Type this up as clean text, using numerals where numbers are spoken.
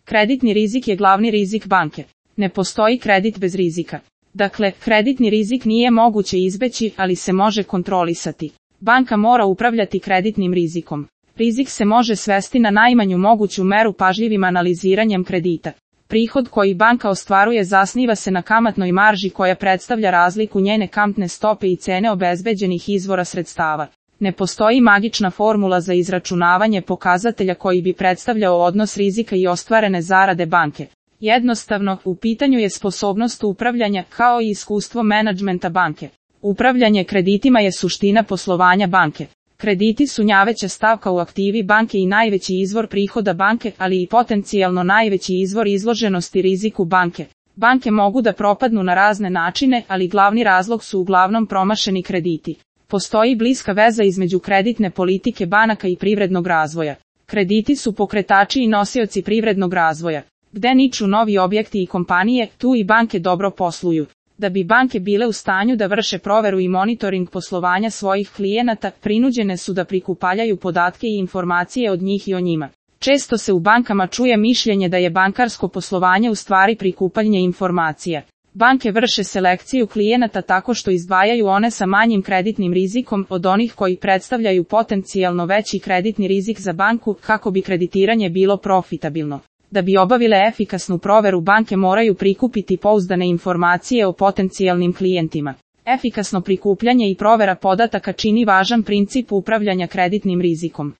Kreditni rizik je glavni rizik banke. Ne postoji kredit bez rizika. Dakle, kreditni rizik nije moguće izbeći, ali se može kontrolisati. Banka mora upravljati kreditnim rizikom. Rizik se može svesti na najmanju moguću meru pažljivim analiziranjem kredita. Prihod koji banka ostvaruje zasniva se na kamatnoj marži koja predstavlja razliku njene kamatne stope i cene obezbeđenih izvora sredstava. Ne postoji magična formula za izračunavanje pokazatelja koji bi predstavljao odnos rizika i ostvarene zarade banke. Jednostavno, u pitanju je sposobnost upravljanja kao i iskustvo menadžmenta banke. Upravljanje kreditima je suština poslovanja banke. Krediti su najveća stavka u aktivi banke i najveći izvor prihoda banke, ali i potencijalno najveći izvor izloženosti riziku banke. Banke mogu da propadnu na razne načine, ali glavni razlog su uglavnom promašeni krediti. Postoji bliska veza između kreditne politike banaka i privrednog razvoja. Krediti su pokretači i nosioci privrednog razvoja. Gde niču novi objekti i kompanije, tu i banke dobro posluju. Da bi banke bile u stanju da vrše proveru i monitoring poslovanja svojih klijenata, prinuđene su da prikupljaju podatke i informacije od njih i o njima. Često se u bankama čuje mišljenje da je bankarsko poslovanje u stvari prikupljanje informacija. Banke vrše selekciju klijenata tako što izdvajaju one sa manjim kreditnim rizikom od onih koji predstavljaju potencijalno veći kreditni rizik za banku, kako bi kreditiranje bilo profitabilno. Da bi obavile efikasnu proveru, banke moraju prikupiti pouzdane informacije o potencijalnim klijentima. Efikasno prikupljanje i provera podataka čini važan princip upravljanja kreditnim rizikom.